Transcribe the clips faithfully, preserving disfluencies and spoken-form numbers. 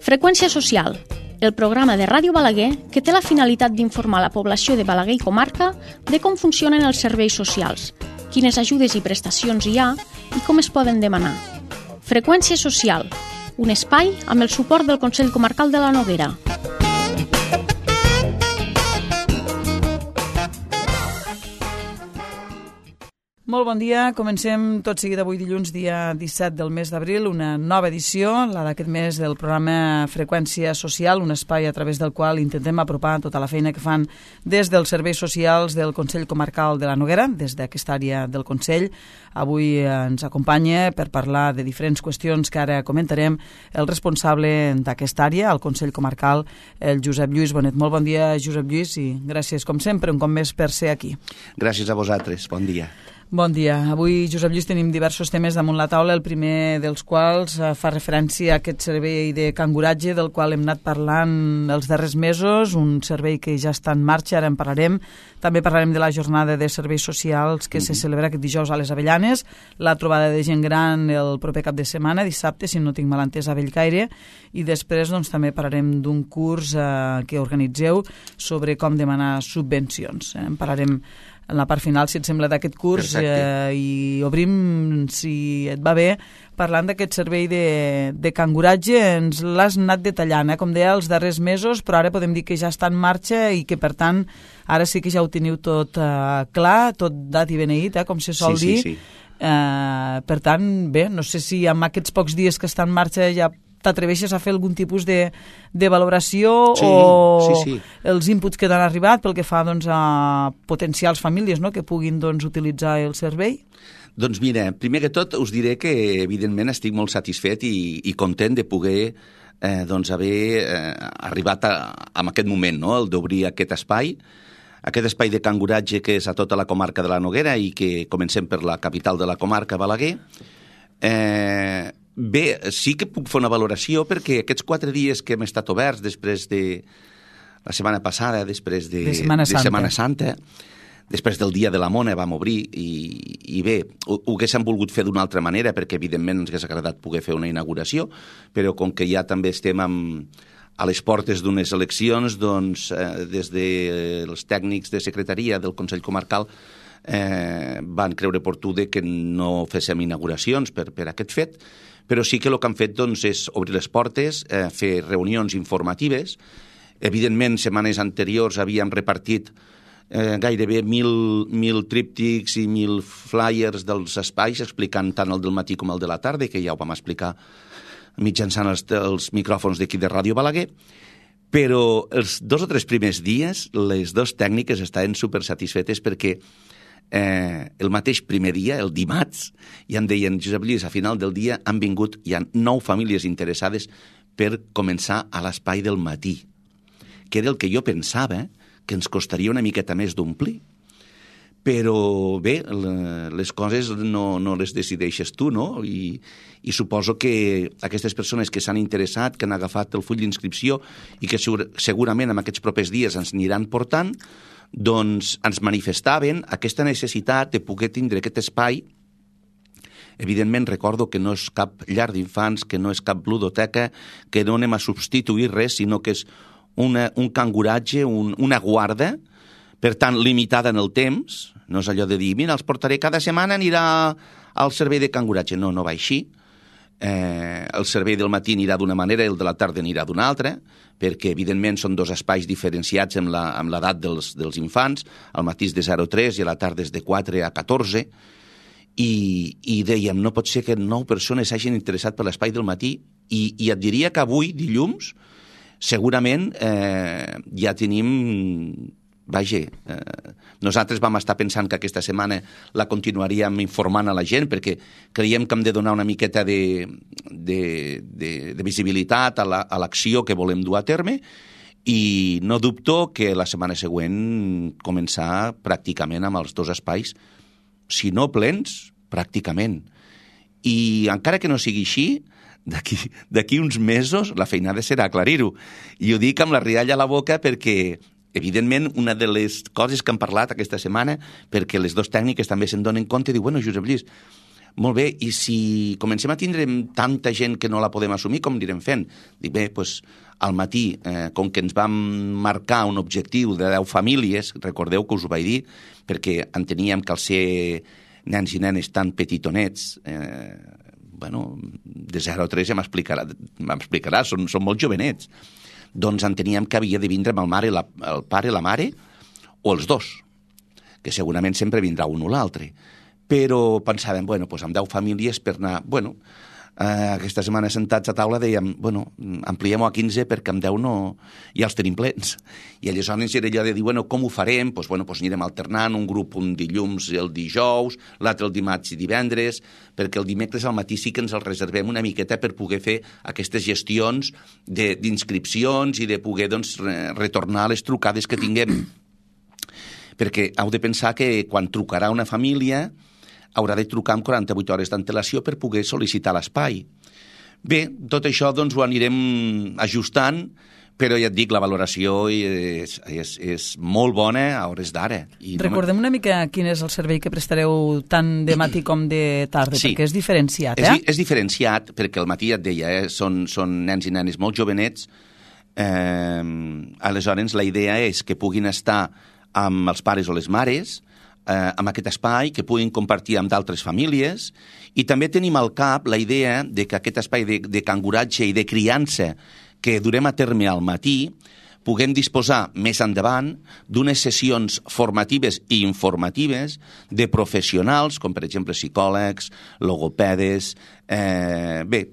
Freqüència social, el programa de Ràdio Balaguer que té la finalitat d'informar la població de Balaguer i comarca de com funcionen els serveis socials, quines ajudes i prestacions hi ha i com es poden demanar. Freqüència social, un espai amb el suport del Consell Comarcal de la Noguera. Molt bon dia, comencem tot seguit avui dilluns, dia disset del mes d'abril, una nova edició, la d'aquest mes del programa Freqüència Social, un espai a través del qual intentem apropar tota la feina que fan des dels serveis socials del Consell Comarcal de la Noguera, des d'aquesta àrea del Consell. Avui ens acompanya per parlar de diferents qüestions que ara comentarem el responsable d'aquesta àrea, al Consell Comarcal, el Josep Lluís Bonet. Molt bon dia, Josep Lluís, i gràcies, com sempre, un cop més per ser aquí. Gràcies a vosaltres, bon dia. Bon dia. Avui, Josep Lluís, tenim diversos temes damunt la taula, el primer dels quals eh, fa referència a aquest servei de canguratge del qual hem anat parlant els darrers mesos, un servei que ja està en marxa, ara en parlarem. També parlarem de la jornada de serveis socials que mm-hmm. se celebra aquest dijous a les Avellanes, la trobada de gent gran el proper cap de setmana, dissabte, si no tinc mal entès, a Bellcaire, i després doncs, també parlarem d'un curs eh, que organitzeu sobre com demanar subvencions. Eh? En parlarem en la part final, si et sembla, d'aquest curs, eh, i obrim, si et va bé, parlant d'aquest servei de, de canguratge. Ens l'has anat detallant, eh, com deia, els darrers mesos, però ara podem dir que ja està en marxa i que, per tant, ara sí que ja ho teniu tot eh, clar, tot dat i beneït, eh, com se sol sí, dir. Sí, sí. Eh, per tant, bé, no sé si amb aquests pocs dies que està en marxa ja t'atreveixes a fer algun tipus de, de valoració sí, o sí, sí. els inputs que t'han arribat pel que fa doncs, a potencials famílies, no?, que puguin doncs, utilitzar el servei? Doncs mira, primer que tot us diré que evidentment estic molt satisfet i, i content de poder eh, doncs, haver eh, arribat a, a aquest moment, no?, el d'obrir aquest espai, aquest espai de canguratge que és a tota la comarca de la Noguera i que comencem per la capital de la comarca, Balaguer. Eh... Bé, sí que puc fer una valoració perquè aquests quatre dies que hem estat oberts després de la setmana passada, després de, de, Setmana, de Santa. Setmana Santa, després del Dia de la Mona vam obrir i, i bé, ho, ho haguéssim volgut fer d'una altra manera perquè evidentment ens hagués agradat poder fer una inauguració, però com que ja també estem amb, a les portes d'unes eleccions, doncs eh, des dels tècnics de secretaria del Consell Comarcal eh, van creure oportú que no féssim inauguracions per, per aquest fet, però sí que el que han fet doncs, és obrir les portes, eh, fer reunions informatives. Evidentment, setmanes anteriors havíem repartit eh, gairebé mil, mil tríptics i mil flyers dels espais, explicant tant el del matí com el de la tarda, que ja ho vam explicar mitjançant els, els micròfons d'aquí de Ràdio Balaguer. Però els dos o tres primers dies, les dues tècniques estaven supersatisfetes perquè Eh, el mateix primer dia, el dimarts, ja em deien, Josep Lluís, a final del dia han vingut, hi ha nou famílies interessades per començar a l'espai del matí, que era el que jo pensava que ens costaria una miqueta més d'omplir. Però bé, les coses no, no les decideixes tu, no? I, i suposo que aquestes persones que s'han interessat, que han agafat el full d'inscripció i que segur, segurament en aquests propers dies ens aniran portant, doncs ens manifestaven aquesta necessitat de poder tindre aquest espai. Evidentment recordo que no és cap llar d'infants, que no és cap ludoteca, que no anem a substituir res, sinó que és una, un canguratge, un, una guarda, per tant limitada en el temps. No és allò de dir, mira, els portaré cada setmana, anirà al servei de canguratge. No, no va així. Eh, el servei del matí anirà d'una manera i el de la tarda anirà d'una altra, perquè evidentment són dos espais diferenciats amb la, amb l'edat dels, dels infants. Al matí és de zero a tres i a la tarda és de quatre a catorze, i, i dèiem, no pot ser que nou persones s'hagin interessat per l'espai del matí, i, i et diria que avui, dilluns, segurament eh, ja tenim... Vaja, eh, nosaltres vam estar pensant que aquesta setmana la continuaríem informant a la gent perquè creiem que hem de donar una miqueta de, de, de, de visibilitat a, la, a l'acció que volem dur a terme, i no dubto que la setmana següent començar pràcticament amb els dos espais, si no plens, pràcticament. I encara que no sigui així, d'aquí, d'aquí uns mesos la feinada serà aclarir-ho. I ho dic amb la rialla a la boca perquè evidentment, una de les coses que han parlat aquesta setmana, perquè les dues tècniques també se'n donen compte, diu, bueno, Josep Lluís, molt bé, i si comencem a tindre tanta gent que no la podem assumir, com anirem fent? Dic, bé, doncs, al matí, eh, com que ens vam marcar un objectiu de deu famílies, recordeu que us ho vaig dir, perquè enteníem que al ser nens i nenes tan petitonets, eh, bueno, de zero a tres ja m'explicarà, m'explicarà, són, són molt jovenets, doncs enteníem que havia de vindre amb el, mare, la, el pare, la mare, o els dos, que segurament sempre vindrà un o l'altre. Però pensàvem, bueno, doncs amb deu famílies per anar... Bueno, eh, aquesta setmana sentats a taula dèiem, bueno, ampliem-ho a quinze perquè amb deu no... ja els tenim plens. I aleshores era allò de dir, bueno, com ho farem? Doncs, bueno, doncs anirem alternant, un grup un dilluns i el dijous, l'altre el dimarts i divendres, perquè el dimecres al matí sí que ens el reservem una miqueta per poder fer aquestes gestions d'inscripcions i de poder, doncs, retornar les trucades que tinguem. Perquè heu de pensar que quan trucarà una família haurà de trucar amb quaranta-vuit hores d'antelació per poder sol·licitar l'espai. Bé, tot això doncs ho anirem ajustant, però ja et dic, la valoració és, és, és molt bona a hores d'ara. I Recordem una mica quin és el servei que prestareu tant de matí com de tarda, sí, perquè és diferenciat, eh? És, és diferenciat, perquè al matí ja et deia, eh, són, són nens i nenes molt jovenets, eh, aleshores la idea és que puguin estar amb els pares o les mares, eh, amb aquest espai, que puguin compartir amb d'altres famílies, i també tenim al cap la idea de que aquest espai de, de canguratge i de criança que durem a terme al matí, puguem disposar més endavant d'unes sessions formatives i informatives de professionals, com per exemple psicòlegs, logopedes, eh, bé,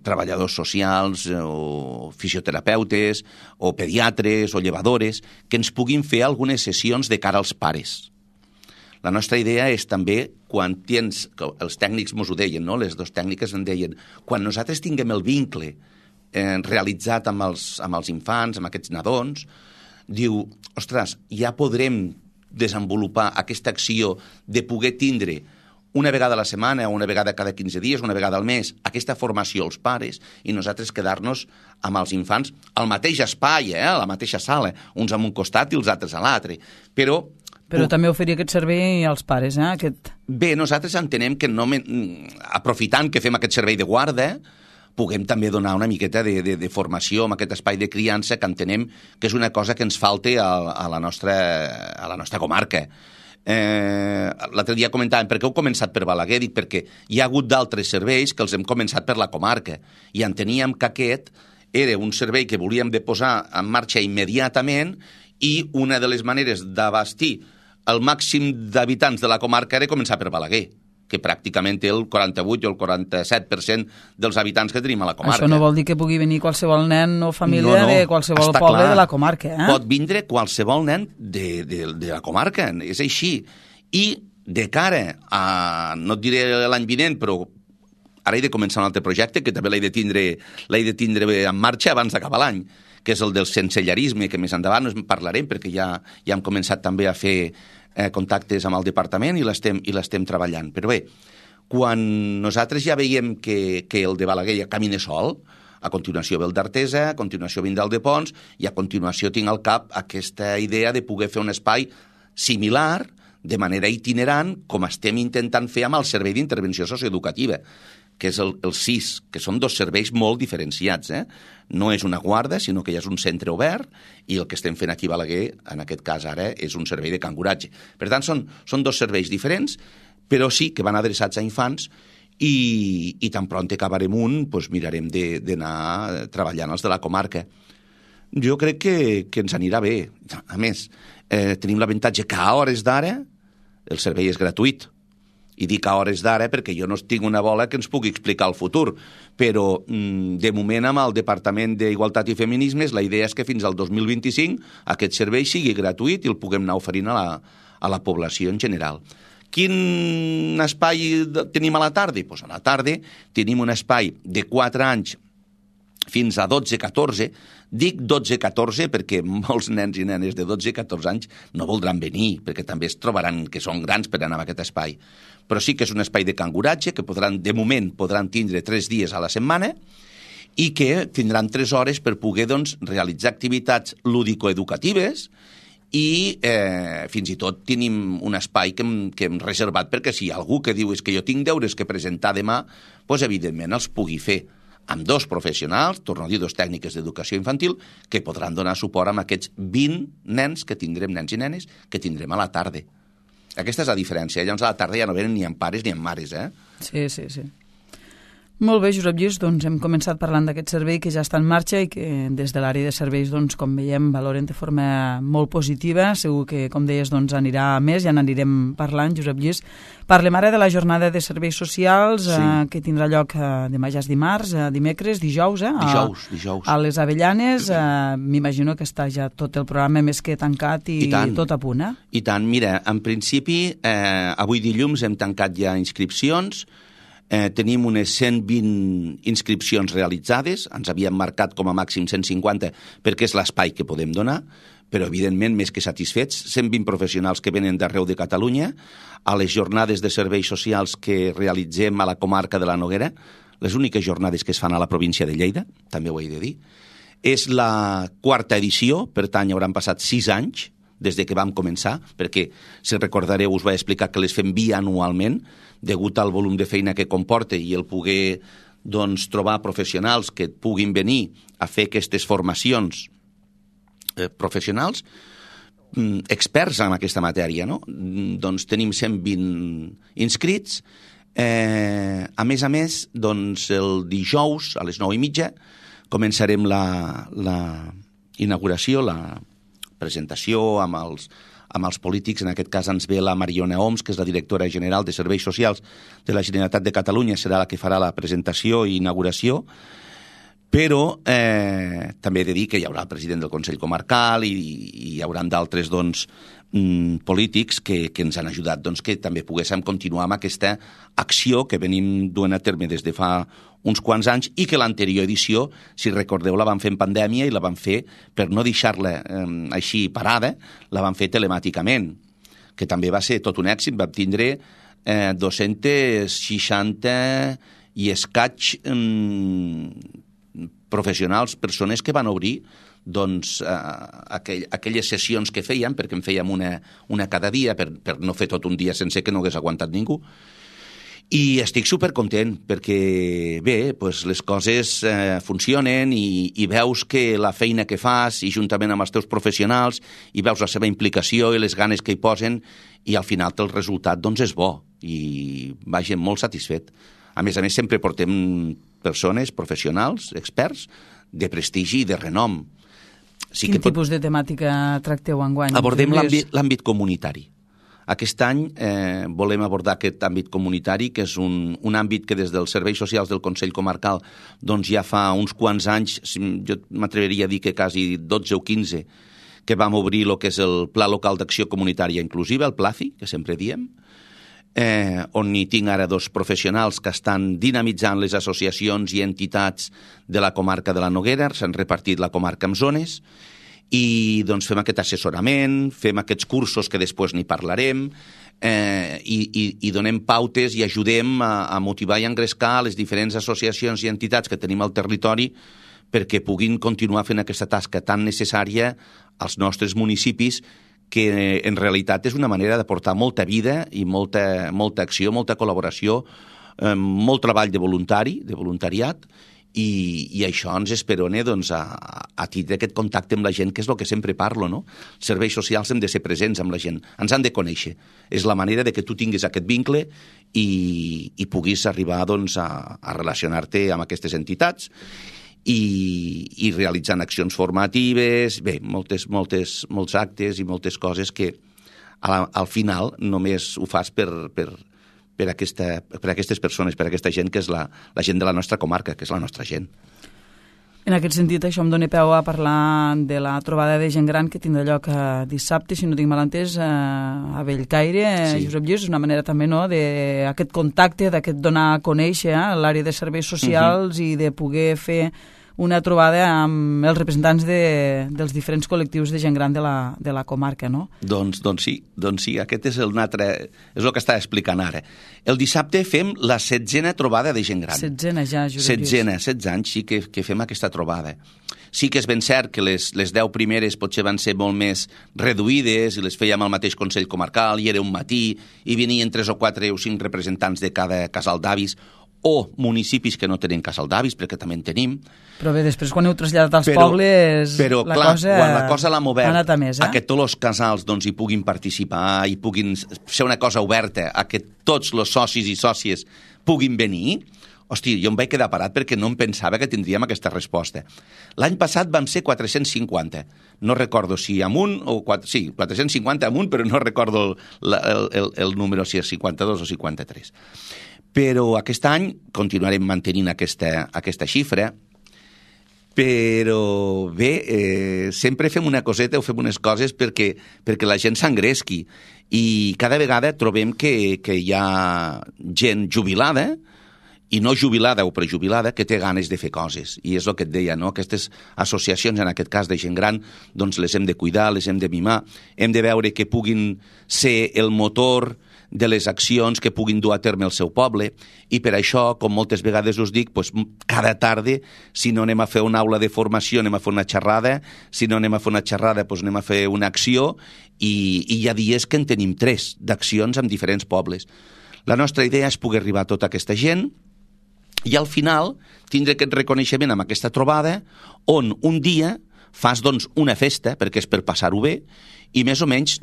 treballadors socials o fisioterapeutes o pediatres o llevadores, que ens puguin fer algunes sessions de cara als pares. La nostra idea és també, quan tens, els tècnics mos ho deien, no? Les dues tècniques en deien, quan nosaltres tinguem el vincle Eh, realitzat amb els, amb els infants, amb aquests nadons, diu, ostres, ja podrem desenvolupar aquesta acció de poder tindre una vegada a la setmana o una vegada cada quinze dies, una vegada al mes, aquesta formació als pares i nosaltres quedar-nos amb els infants al mateix espai, eh, a la mateixa sala, uns a un costat i els altres a l'altre. Però Però també oferir aquest servei als pares, eh? Aquest... Bé, nosaltres entenem que no, aprofitant que fem aquest servei de guarda, puguem també donar una miqueta de, de, de formació amb aquest espai de criança que entenem que és una cosa que ens falta a, a, la, nostra, a la nostra comarca. Eh, L'altre dia comentàvem, per què heu començat per Balaguer? Dic, perquè hi ha hagut d'altres serveis que els hem començat per la comarca i enteníem que aquest era un servei que volíem de posar en marxa immediatament i una de les maneres d'abastir el màxim d'habitants de la comarca era començar per Balaguer, que pràcticament té el quaranta-vuit o el quaranta-set per cent dels habitants que tenim a la comarca. Això no vol dir que pugui venir qualsevol nen o família no, no, de qualsevol poble clar. de la comarca. Eh? Pot vindre qualsevol nen de, de, de la comarca, és així. I de cara a, no et diré l'any vinent, però ara he de començar un altre projecte que també l'he de tindre, l'he de tindre en marxa abans d'acabar l'any, que és el del sensellarisme, que més endavant en parlarem, perquè ja, ja hem començat també a fer eh, contactes amb el departament i l'estem i l'estem treballant. Però bé, quan nosaltres ja veiem que, que el de Balaguer ja camina sol, a continuació ve el d'Artesa, a continuació vindrà el de Pons, i a continuació tinc al cap aquesta idea de poder fer un espai similar, de manera itinerant, com estem intentant fer amb el Servei d'Intervenció Socioeducativa, que és el, el S I S, que són dos serveis molt diferenciats. Eh? No és una guarda, sinó que ja és un centre obert, i el que estem fent aquí a Balaguer, en aquest cas ara, és un servei de canguratge. Per tant, són, són dos serveis diferents, però sí que van adreçats a infants, i, i tan pront acabarem un, doncs mirarem d'anar treballant els de la comarca. Jo crec que, que ens anirà bé. A més, eh, tenim l'avantatge que a hores d'ara el servei és gratuït. I dic a hores d'ara perquè jo no tinc una bola que ens pugui explicar el futur, però de moment amb el Departament d'Igualtat i Feminismes la idea és que fins al dos mil vint-i-cinc aquest servei sigui gratuït i el puguem anar oferint a la, a la població en general. Quin espai tenim a la tarda? Pues a la tarda tenim un espai de quatre anys fins a dotze catorze. Dic dotze catorze perquè molts nens i nenes de dotze catorze anys no voldran venir, perquè també es trobaran que són grans per anar a aquest espai. Però sí que és un espai de canguratge que podran, de moment podran tindre tres dies a la setmana i que tindran tres hores per poder doncs, realitzar activitats lúdico-educatives i eh, fins i tot tenim un espai que hem, que hem reservat perquè si hi ha algú que diu és que jo tinc deures que presentar demà, doncs evidentment els pugui fer amb dos professionals, torno a dir, dos tècniques d'educació infantil, que podran donar suport amb aquests vint nens que tindrem, nens i nenes, que tindrem a la tarda. Aquesta és la diferència. Llavors a la tarda ja no venen ni amb pares ni amb mares, eh? Sí, sí, sí. Molt bé, Josep Lluís, doncs hem començat parlant d'aquest servei que ja està en marxa i que des de l'àrea de serveis, doncs, com veiem, valoren de forma molt positiva. Segur que, com deies, doncs, anirà a més, ja n'anirem parlant, Josep Lluís. Parlem ara de la jornada de serveis socials, sí. eh, que tindrà lloc eh, demà ja és dimarts, eh, dimecres, dijous, eh? A, dijous, dijous. A les Avellanes. Eh, M'imagino que està ja tot el programa més que tancat i, I tot a punt, eh? I tant. Mira, en principi, eh, avui dilluns hem tancat ja inscripcions. Eh, tenim unes cent vint inscripcions realitzades, ens havíem marcat com a màxim cent cinquanta perquè és l'espai que podem donar, però evidentment més que satisfets, cent vint professionals que venen d'arreu de Catalunya, a les jornades de serveis socials que realitzem a la comarca de la Noguera, les úniques jornades que es fan a la província de Lleida, també ho he de dir. És la quarta edició, per tant hi hauran passat sis anys des de que vam començar, perquè, si recordareu, us vaig explicar que les fem bianualment, degut al volum de feina que comporta i el poder doncs, trobar professionals que puguin venir a fer aquestes formacions eh, professionals, mm, experts en aquesta matèria, no? Doncs tenim cent vint inscrits. Eh, a més a més, doncs, el dijous a les nou i mitja començarem la, la inauguració, la presentació amb els, amb els polítics. En aquest cas ens ve la Mariona Oms, que és la directora general de Serveis Socials de la Generalitat de Catalunya, serà la que farà la presentació i inauguració, però eh, també he de dir que hi haurà el president del Consell Comarcal i, i hi haurà d'altres doncs, mm, polítics que, que ens han ajudat doncs, que també poguéssim continuar amb aquesta acció que venim duent a terme des de fa uns quants anys i que l'anterior edició, si recordeu, la vam fer en pandèmia i la vam fer, per no deixar-la eh, així parada, la vam fer telemàticament, que també va ser tot un èxit. Vam tindre eh, dos-cents seixanta i escaig eh, professionals, persones que van obrir doncs, eh, aquell, aquelles sessions que fèiem, perquè en fèiem una, una cada dia, per, per no fer tot un dia sense que no hagués aguantat ningú. I estic supercontent perquè, bé, doncs les coses eh, funcionen i, i veus que la feina que fas i juntament amb els teus professionals i veus la seva implicació i les ganes que hi posen i al final el resultat doncs és bo i vaja, molt satisfet. A més a més, sempre portem persones, professionals, experts, de prestigi i de renom. Sí Quin que tipus pot... de temàtica tracteu enguany? Abordem l'àmbit comunitari. Aquest any eh, volem abordar aquest àmbit comunitari, que és un, un àmbit que des dels serveis socials del Consell Comarcal doncs ja fa uns quants anys, jo m'atreveria a dir que quasi dotze o quinze, que vam obrir el que és el Pla Local d'Acció Comunitària Inclusiva, el PLACI, que sempre diem, eh, on hi tinc ara dos professionals que estan dinamitzant les associacions i entitats de la comarca de la Noguera, s'han repartit la comarca en zones, i doncs fem aquest assessorament, fem aquests cursos que després n'hi parlarem, eh, i, i, i donem pautes i ajudem a, a motivar i engrescar les diferents associacions i entitats que tenim al territori perquè puguin continuar fent aquesta tasca tan necessària als nostres municipis, que en realitat és una manera d'aportar molta vida i molta, molta acció, molta col·laboració, eh, molt treball de voluntari, de voluntariat, I, i això ens esperona doncs, a, a tindre aquest contacte amb la gent, que és el que sempre parlo, no? Els serveis socials hem de ser presents amb la gent, ens han de conèixer. És la manera de que tu tinguis aquest vincle i, i puguis arribar doncs, a, a relacionar-te amb aquestes entitats i, i realitzant accions formatives, bé, moltes, moltes, molts actes i moltes coses que a, al final només ho fas per... per Per, aquesta, per aquestes persones, per aquesta gent que és la, la gent de la nostra comarca, que és la nostra gent. En aquest sentit, això em dóna peu a parlar de la trobada de gent gran que tindrà lloc eh, dissabte, si no tinc mal entès, eh, a Bellcaire. Sí. Josep Lluís, és una manera també no, d'aquest contacte, d'aquest donar a conèixer eh, l'àrea de serveis socials uh-huh. i de poder fer una trobada amb els representants de, dels diferents col·lectius de gent gran de la, de la comarca, no? Doncs, doncs sí, doncs sí, aquest és el altre, és el que estava explicant ara. El dissabte fem la setzena trobada de gent gran. Setzena ja, Josep Lluís. Setzena, setze anys sí que, que fem aquesta trobada. Sí que és ben cert que les, les deu primeres potser van ser molt més reduïdes i les fèiem al mateix Consell Comarcal i era un matí i venien tres o quatre o cinc representants de cada casal d'avis o municipis que no tenen casal d'avis, perquè també en tenim. Però bé, després quan heu traslladat als però, pobles, però, la clar, cosa quan la cosa l'hem obert, ha anat a més, eh? a que tots els casals doncs, hi puguin participar, i puguin ser una cosa oberta, a que tots els socis i sòcies puguin venir. Hosti, jo em vaig quedar parat perquè no em pensava que tindríem aquesta resposta. L'any passat vam ser quatre-cents cinquanta. No recordo si amunt o... quatre, sí, quatre-cents cinquanta amunt, però no recordo el, el, el, el número, si és cinquanta-dos o cinquanta-tres. Però aquest any continuarem mantenint aquesta, aquesta xifra, però bé, eh, sempre fem una coseta o fem unes coses perquè, perquè la gent s'engresqui. I cada vegada trobem que, que hi ha gent jubilada, i no jubilada o prejubilada, que té ganes de fer coses. I és el que et deia, no? Aquestes associacions, en aquest cas de gent gran, doncs les hem de cuidar, les hem de mimar, hem de veure que puguin ser el motor de les accions que puguin dur a terme el seu poble, i per això, com moltes vegades us dic, doncs, cada tarda, si no anem a fer una aula de formació, anem a fer una xerrada, si no anem a fer una xerrada, doncs anem a fer una acció, i, i hi ha dies que en tenim tres, d'accions amb diferents pobles. La nostra idea és poder arribar a tota aquesta gent, i al final tindre aquest reconeixement amb aquesta trobada on un dia fas doncs, una festa, perquè és per passar-ho bé, i més o menys,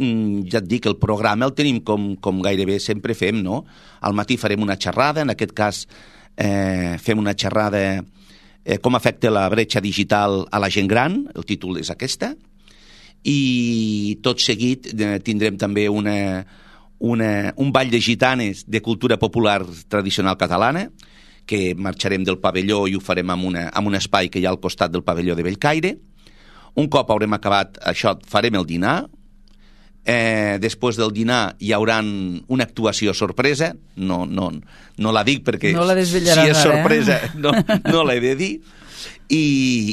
ja et dic, el programa el tenim com, com gairebé sempre fem, no? Al matí farem una xerrada, en aquest cas eh, fem una xerrada eh, com afecta la bretxa digital a la gent gran, el títol és aquesta, i tot seguit eh, tindrem també una, una, un ball de gitanes de cultura popular tradicional catalana, que marxarem del pavelló i ho farem en, una, en un espai que hi ha al costat del pavelló de Bellcaire. Un cop haurem acabat això, farem el dinar. Eh, després del dinar hi haurà una actuació sorpresa. No, no, no la dic perquè no la si és sorpresa eh? no, no l'he de dir. I,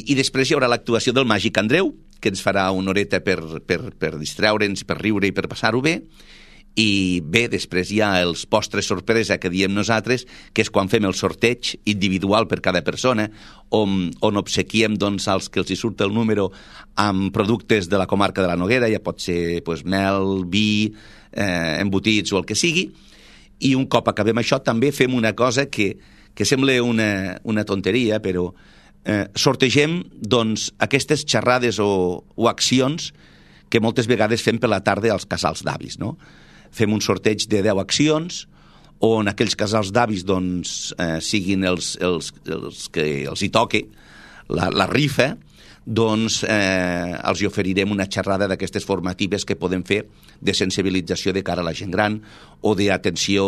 I després hi haurà l'actuació del Màgic Andreu, que ens farà una horeta per, per, per distraure'ns, per riure i per passar-ho bé. I bé, després hi ha els postres sorpresa que diem nosaltres, que és quan fem el sorteig individual per cada persona, on, on obsequiem doncs, als que els hi surt el número amb productes de la comarca de la Noguera, ja pot ser pues, mel, vi, eh, embotits o el que sigui, i un cop acabem això també fem una cosa que, que sembla una, una tonteria, però eh, sortegem doncs, aquestes xerrades o, o accions que moltes vegades fem per la tarda als casals d'avis, no? Fem un sorteig de deu accions on aquells casals d'avis doncs, eh, siguin els, els, els que els hi toque la, la rifa, doncs eh, els hi oferirem una xerrada d'aquestes formatives que podem fer de sensibilització de cara a la gent gran o d'atenció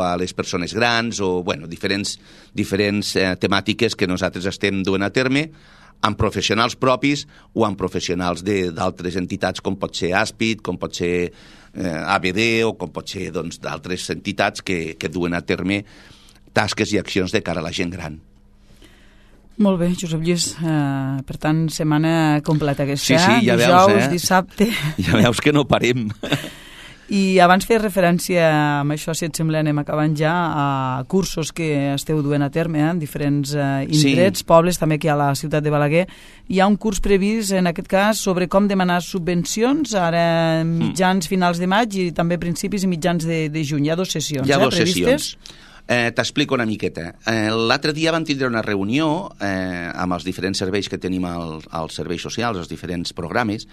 a les persones grans o bueno, diferents, diferents eh, temàtiques que nosaltres estem duent a terme amb professionals propis o amb professionals d'altres entitats com pot ser Àspid, com pot ser eh, A B D o com pot ser doncs, d'altres entitats que, que duen a terme tasques i accions de cara a la gent gran. Molt bé, Josep Lluís. Uh, per tant, setmana completa aquesta. Sí, sí, ja Dijous, veus, eh? dissabte. Ja veus que no parem. I abans feia referència, amb això, si et sembla, anem acabant ja, a cursos que esteu duent a terme eh, en diferents eh, indrets, sí. Pobles, també aquí a la ciutat de Balaguer. Hi ha un curs previst, en aquest cas, sobre com demanar subvencions, ara mitjans, finals de maig i també principis i mitjans de, de juny. Hi ha dues sessions, Hi ha eh, dues previstes. sessions. Eh, T'explico una miqueta. Eh, L'altre dia vam tindre una reunió eh, amb els diferents serveis que tenim al, als serveis socials, els diferents programes,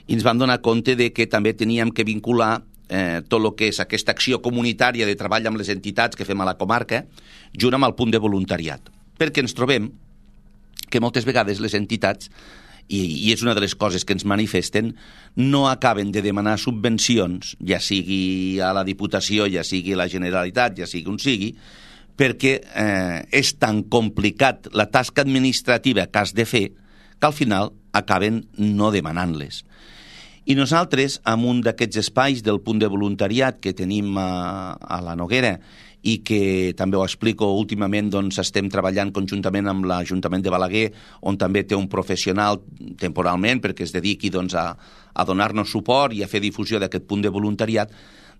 i ens vam donar compte de que també teníem que vincular eh, tot el que és aquesta acció comunitària de treball amb les entitats que fem a la comarca, junt amb el punt de voluntariat. Perquè ens trobem que moltes vegades les entitats, i, i és una de les coses que ens manifesten, no acaben de demanar subvencions, ja sigui a la Diputació, ja sigui a la Generalitat, ja sigui on sigui, perquè eh, és tan complicat la tasca administrativa que has de fer que al final acaben no demanant-les. I nosaltres, amb un d'aquests espais del punt de voluntariat que tenim a, a la Noguera i que també ho explico últimament, doncs estem treballant conjuntament amb l'Ajuntament de Balaguer, on també té un professional temporalment perquè es dediqui doncs, a, a donar-nos suport i a fer difusió d'aquest punt de voluntariat.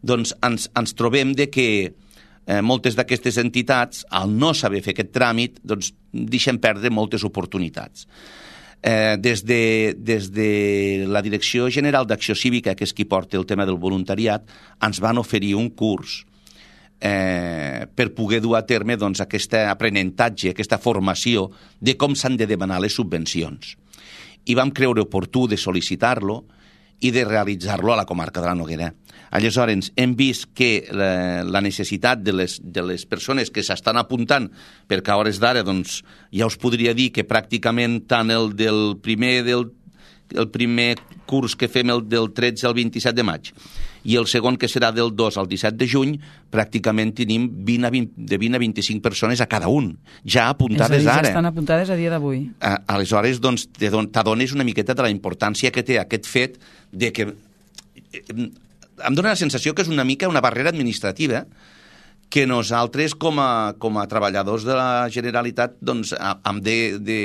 Doncs ens, ens trobem de que eh, moltes d'aquestes entitats, al no saber fer aquest tràmit, doncs deixen perdre moltes oportunitats. Eh, des, de, des de la Direcció General d'Acció Cívica, que és qui porta el tema del voluntariat, ens van oferir un curs eh, per poder dur a terme doncs, aquest aprenentatge, aquesta formació de com s'han de demanar les subvencions. I vam creure oportú de sol·licitar-lo i de realitzar-lo a la comarca de la Noguera. Aleshores, hem vist que la, la necessitat de les, de les persones que s'estan apuntant, perquè a hores d'ara doncs, ja us podria dir que pràcticament tant el del primer, del, el primer curs que fem el del tretze al vint-i-set de maig i el segon que serà del dos al disset de juny, pràcticament tenim vint a vint, de vint a vint-i-cinc persones a cada un, ja apuntades ja ara. Ja estan apuntades a dia d'avui. Aleshores, doncs, t'adones una miqueta de la importància que té aquest fet de que... Em dóna la sensació que és una mica una barrera administrativa que nosaltres, com a, com a treballadors de la Generalitat, doncs, hem de... de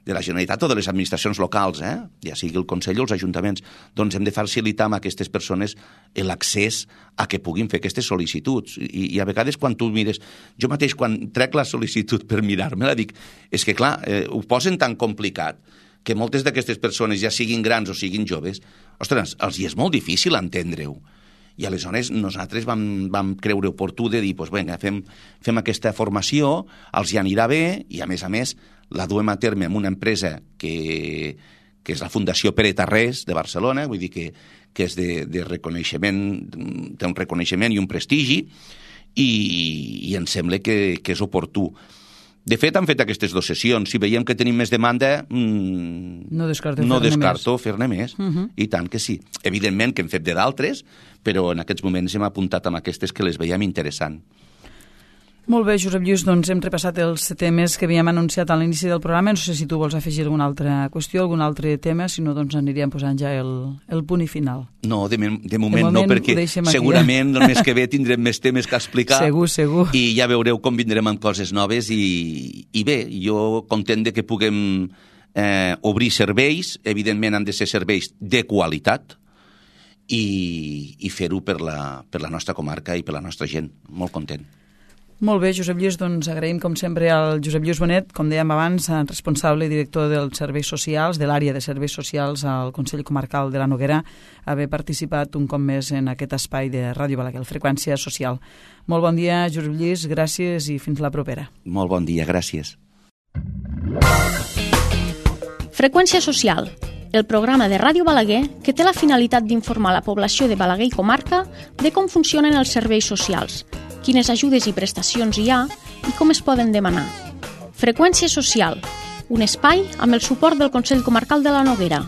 de la Generalitat o de les administracions locals, eh? ja sigui el Consell o els ajuntaments, doncs hem de facilitar a aquestes persones l'accés a que puguin fer aquestes sol·licituds. I, i a vegades quan tu mires... Jo mateix quan trec la sol·licitud per mirar-me-la dic, és que clar, eh, ho posen tan complicat que moltes d'aquestes persones, ja siguin grans o siguin joves, ostres, els hi és molt difícil entendre-ho. I aleshores nosaltres vam, vam creure oportú de dir, doncs vinga, fem, fem aquesta formació, els hi anirà bé i a més a més la duem a terme amb una empresa que, que és la Fundació Pere Tarrés de Barcelona, vull dir que, que és de, de reconeixement, té un reconeixement i un prestigi i, i em sembla que, que és oportú. De fet, han fet aquestes dues sessions. Si veiem que tenim més demanda, mmm, no descarto, no fer-ne descarto més. fer-ne més. Uh -huh. I tant que sí. Evidentment que hem fet de d'altres, però en aquests moments hem apuntat amb aquestes que les veiem interessant. Molt bé, Josep Lluís, doncs hem repassat els temes que havíem anunciat a l'inici del programa. No sé si tu vols afegir alguna altra qüestió, algun altre tema, si no, doncs aniríem posant ja el, el punt i final. No, de, de, moment, de moment no, perquè segurament el mes que ve tindrem més temes que explicar. Segur, segur. I ja veureu com vindrem amb coses noves i, i bé, jo content de que puguem eh, obrir serveis, evidentment han de ser serveis de qualitat i, i fer-ho per la, per la nostra comarca i per la nostra gent. Molt content. Molt bé, Josep Lluís, doncs agraïm com sempre al Josep Lluís Bonet, com dèiem abans, responsable i director dels serveis socials, de l'àrea de serveis socials al Consell Comarcal de la Noguera, haver participat un cop més en aquest espai de Ràdio Balaguer, el Freqüència Social. Molt bon dia, Josep Lluís, gràcies i fins la propera. Molt bon dia, gràcies. Freqüència Social, el programa de Ràdio Balaguer que té la finalitat d'informar la població de Balaguer i comarca de com funcionen els serveis socials, quines ajudes i prestacions hi ha i com es poden demanar. Freqüència Social, un espai amb el suport del Consell Comarcal de la Noguera.